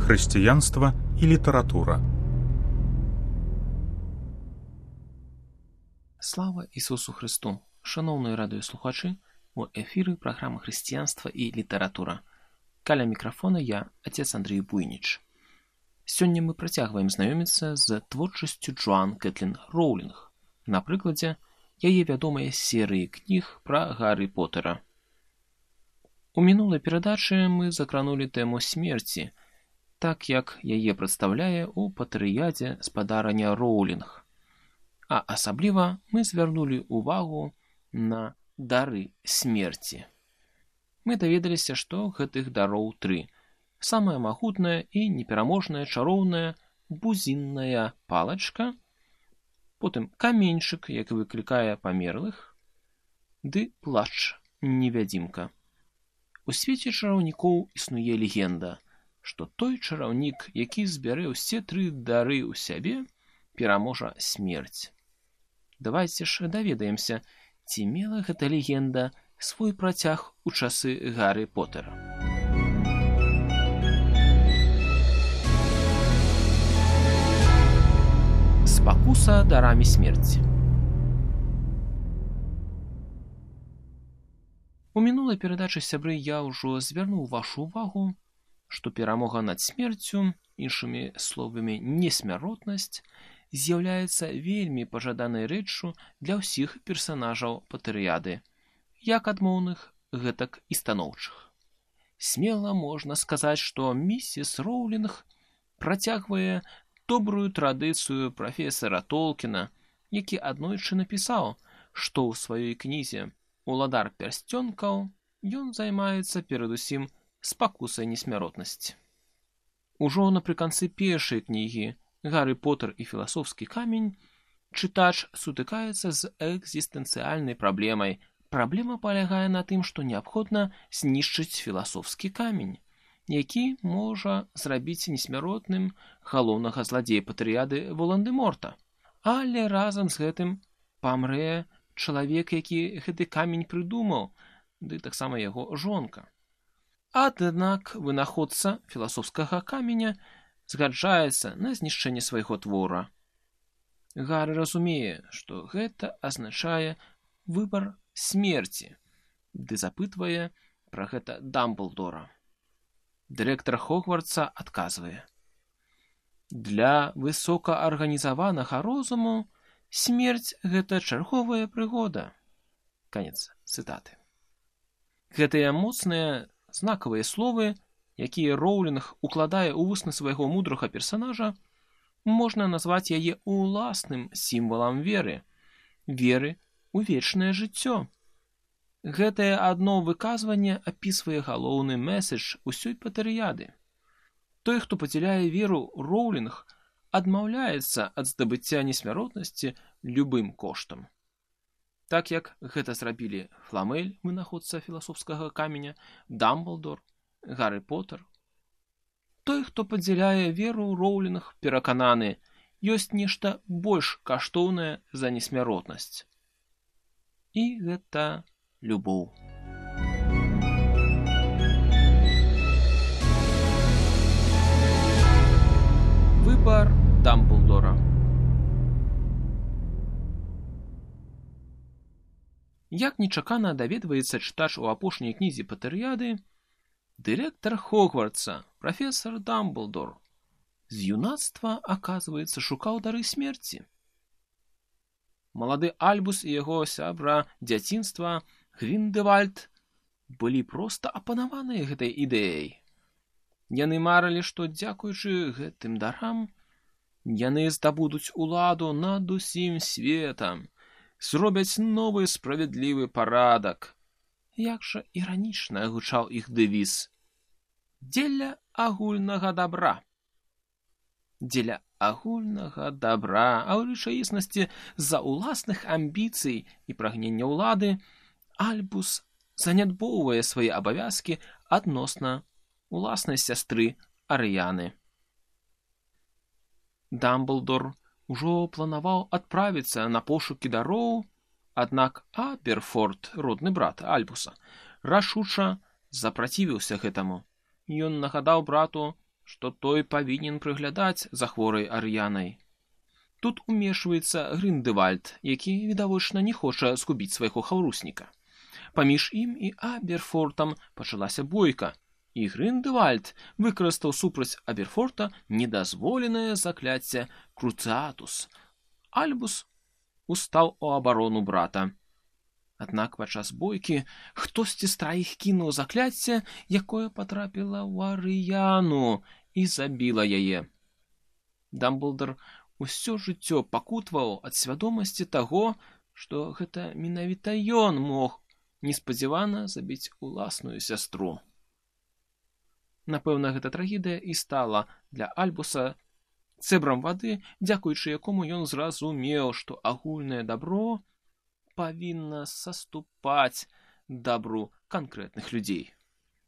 Хрысціянства і літаратура. Слава Ісусу Христу! Шановні радыёслухачы, у эфіры праграма «Хрысціянства і літаратура». Каля мікрафона я, отец Андрей Буйніч. Сёння мы працягваем знаёміцца з творчасцю Джоан Кэтлін Роўлінг на прыкладзе яе вядомай серыі кніг пра Гаррі Поттера. У мінулай перадачы мы закранулі тэму смерці, так як яе прадстаўляе ў патэрыядзе спадарання Роўлінг. А асабліва мы звярнулі ўвагу на дары смерці. Мы даведаліся, што гэтых дароў 3. Самая магутная і непераможная чароўная бузінная палачка, потым каменьчык, які выклікае памерлых, ды плашч невядзімка. У свеце чараўнікоў існуе легенда, што той чараўнік, які збярэ ўсе 3 дары ў сябе, пераможа смерць. Давайце ж даведаемся, ці мела гэта легенда свой працяг у часы Гаррі Поттера. Спакуса дарамі смерці. У мінулай перадачы, сябры, я ўжо звярнуў вашу ўвагу, што перамога над смерцю, іншымі словамі несмяротнасць, з'яўляецца вельмі пажаданай рэччу для ўсіх персанажаў патэрыяды, як адмоўных, гэтак і станоўчых. Смела можна сказаць, што місіс Роўлінг працягвае добрую традыцыю прафесара Толкіна, які аднойчы напісаў, што ў сваёй кнізе «Уладар пярсцёнкаў» ён займаецца перадусім спакусай несмяротнасці. Ужо напрыканцы першай кнігі «Гаррі Поттер і філасофскі камень» чытач сутыкаецца з экзістэнцыяльнай праблемай. Праблема палягае на тым, што неабходна знішчыць філасофскі камень, які можа зрабіць несмяротным галоўнага зладзея патэрыяды Волан-дэ-Морта. Але разам з гэтым памрэ чалавек, які гэты камень прыдумаў, ды таксама яго жонка. Аднак вынаходца філасофскага каменя згаджаецца на знішчэнне свайго твора. Гаррі разумее, што гэта азначае выбар смерці, ды запытвае пра гэта Дамблдора. Дырэктар Хогвартса адказвае: «Для высокаарганізаванага розуму смерць – гэта чарговая прыгода». Канец цытаты. Гэтыя моцныя знакавыя словы, якія Роўлінг укладае ў вусны свайго мудрага персанажа, можна назваць яе уласным сімвалам веры ў вечнае жыццё. Гэтае адно выказванне апісвае галоўны мэсэдж усёй патэрыяды. Той, хто падзяляе веру Роўлінг, адмаўляецца ад здабыцця несмяротнасці любым коштам. Так як гэта зрабілі Фламель, вынаходца філасофскага каменя, Дамблдор, Гаррі Поттер. Той, хто падзяляе веру Роўлінг, перакананы, ёсць нешта больш каштоўнае за несмяротнасць. І гэта любоў. Выбар Дамблдора. Як нечакана даведваецца чытач у апошняй кнізе патэрыяды, дырэктар Хогвартса, прафесар Дамблдор, з юнацтва, аказваецца, шукаў дары смерці. Малады Альбус і яго сябра дзяцінства Гріндэльвальд былі проста апанаваныя гэтай ідэяй. Яны марылі, што, дзякуючы гэтым дарам, яны здабудуць уладу над усім светам, зробяць новы справядлівы парадак. Як жа іранічна гучаў іх дэвіз: «Дзеля агульнага дабра». Дзеля агульнага дабра, а ў рэчаіснасці з-за ўласных амбіцый і прагнення ўлады Альбус занядбоўвае свае абавязкі адносна уласнай сястры Арыяны. Дамблдор ужо планаваў адправіцца на пошукі дароў, аднак Аберфорд, родны брат Альбуса, рашуча запрацівіўся гэтаму. Ён нагадаў брату што той павінен прыглядаць за хворай Ар'янай. Тут умешваецца Гріндевальд, які, відавочна, не хоча згубіць свайго хаўрусніка. Паміж ім і Аберфортам пачалася бойка, і Гріндевальд выкарыстаў супраць Аберфорта недазволенае закляцце Круцыатус. Альбус устаў у абарону брата. Аднак падчас бойкі хтосьці з траіх кінуў закляцце, якое патрапіла ў Ар'яну і забіла яе. Дамблдар усё жыццё пакутваў ад свядомасці таго, што гэта менавіта ён мог неспадзявана забіць уласную сястру. Напэўна, гэта трагедыя і стала для Альбуса цэбрам вады, дзякуючы якому ён зразумеў, што агульнае дабро павінна саступаць дабру канкрэтных людзей.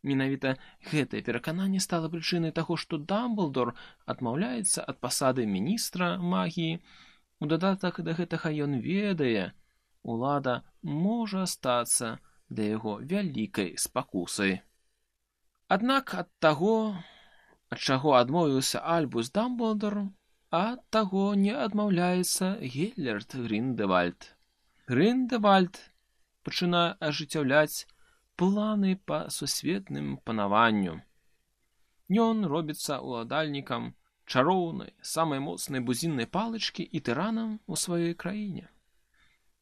Менавіта гэтае перакананне стала прычынай таго, што Дамблдор адмаўляецца ад пасады міністра магіі. У дадатак да гэтага ён ведае, улада можа стацца для яго вялікай спакусай. Аднак ад таго, ад чаго адмовіўся Альбус Дамблдор, ад таго не адмаўляецца Геллерт Гріндевальд. Гріндевальд пачынае ажыццяўляць планы па сусветным панаванню. Ён робіцца уладальнікам чароўнай, самай моцнай бузіннай палычкі і тыранам у сваёй краіне.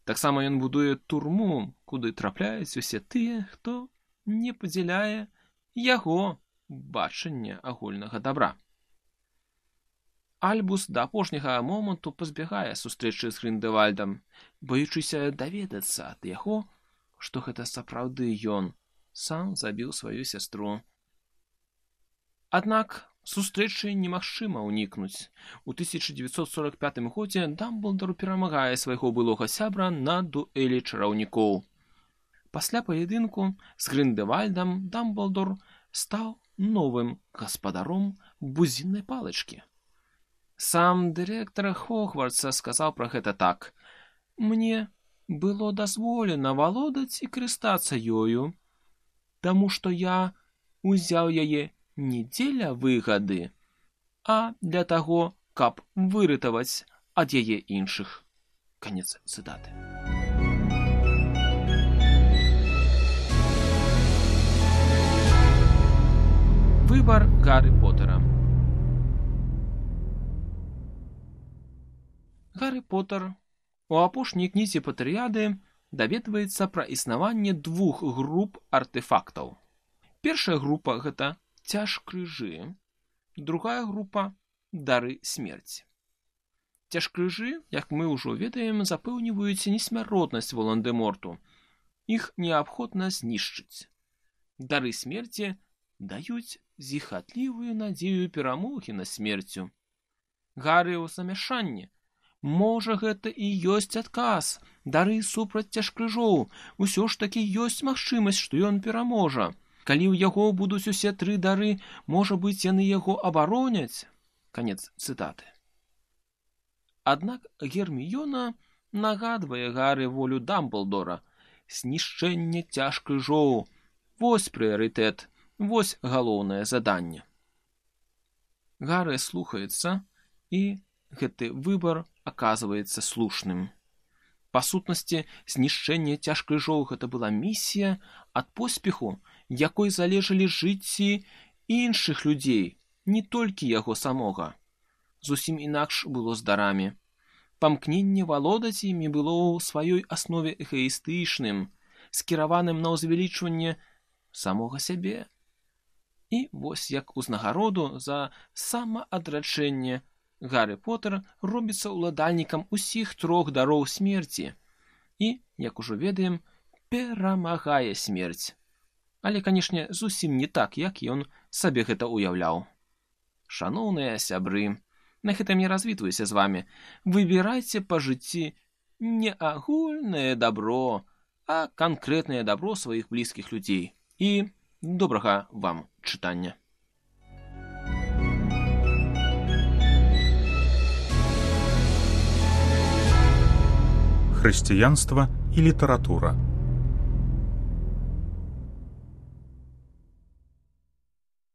Таксама ён будуе турму, куды трапляюць усе тыя, хто не падзяляе яго бачанне агульнага дабра. Альбус да апошняга моманту пазбягае сустрэчы з Гріндевальдам, баючыся даведацца ад яго, што гэта сапраўды ён сам забіў сваю сястру. Аднак сустрэчы немагчыма ўнікнуць. У 1945 годзе Дамблдар перамагае свайго былога сябра на дуэлі чараўнікоў. Пасля паядынку з Гріндевальдам Дамблдор стаў новым гаспадаром бузіннай палачкі. Сам дырэктар Хогвартса сказаў пра гэта так: «Мне было дазволена валодаць і карыстацца ёю, таму што я узяў яе не дзеля выгады, а для таго, каб выратаваць ад яе іншых». Канец цытаты. Выбар Гаррі Поттера. Гаррі Поттер у апошняй кнізе Патэрыяды даведваецца пра існаванне двух груп артефактаў. Першая група – гэта цяжкрыжы, другая група – дары смерці. Цяжкрыжы, як мы ўжо ведаем, запэўніваюць несмяротнасць Волан-дэ-Морту. Іх неабходна знішчыць. Дары смерці даюць зіхатлівую надзею перамогі над смерцю. Гаррі ў замяшанні. Можа, гэта і ёсць адказ, дары супраць цяжкрыжоў, усё ж такі ёсць магчымасць, што ён пераможа. Калі ў яго будуць усе тры дары, можа быць, яны яго абароняць. Канец цытаты. Аднак Герміёна нагадвае Гаррі волю Дамблдора. Знішчэнне цяжкрыжоў. Вось прыярытэт, вось галоўнае заданне. Гаррі слухаецца, і гэты выбар аказваецца слушным. Па сутнасці, знішчэнне цяжкрыжоў гэта была місія, ад поспеху якой залежалі жыцці іншых людзей, не толькі яго самога. Зусім інакш было з дарамі. Памкненне валодаць імі было ў сваёй аснове эгаістычным, скіраваным на ўзвялічванне самога сябе. І вось як узнагароду за самаадрачэнне Гаррі Поттер робіцца ўладальнікам усіх трох дароў смерці і, як ужо ведаем, перамагае смерць. Але, канешне, зусім не так, як ён сабе гэта ўяўляў. Шаноўныя сябры, на гэтым я развітваюся з вамі. Выбірайце па жыцці не агульнае дабро, а канкрэтнае дабро сваіх блізкіх людзей. І добрага вам чытання. Хрысціянства і літаратура.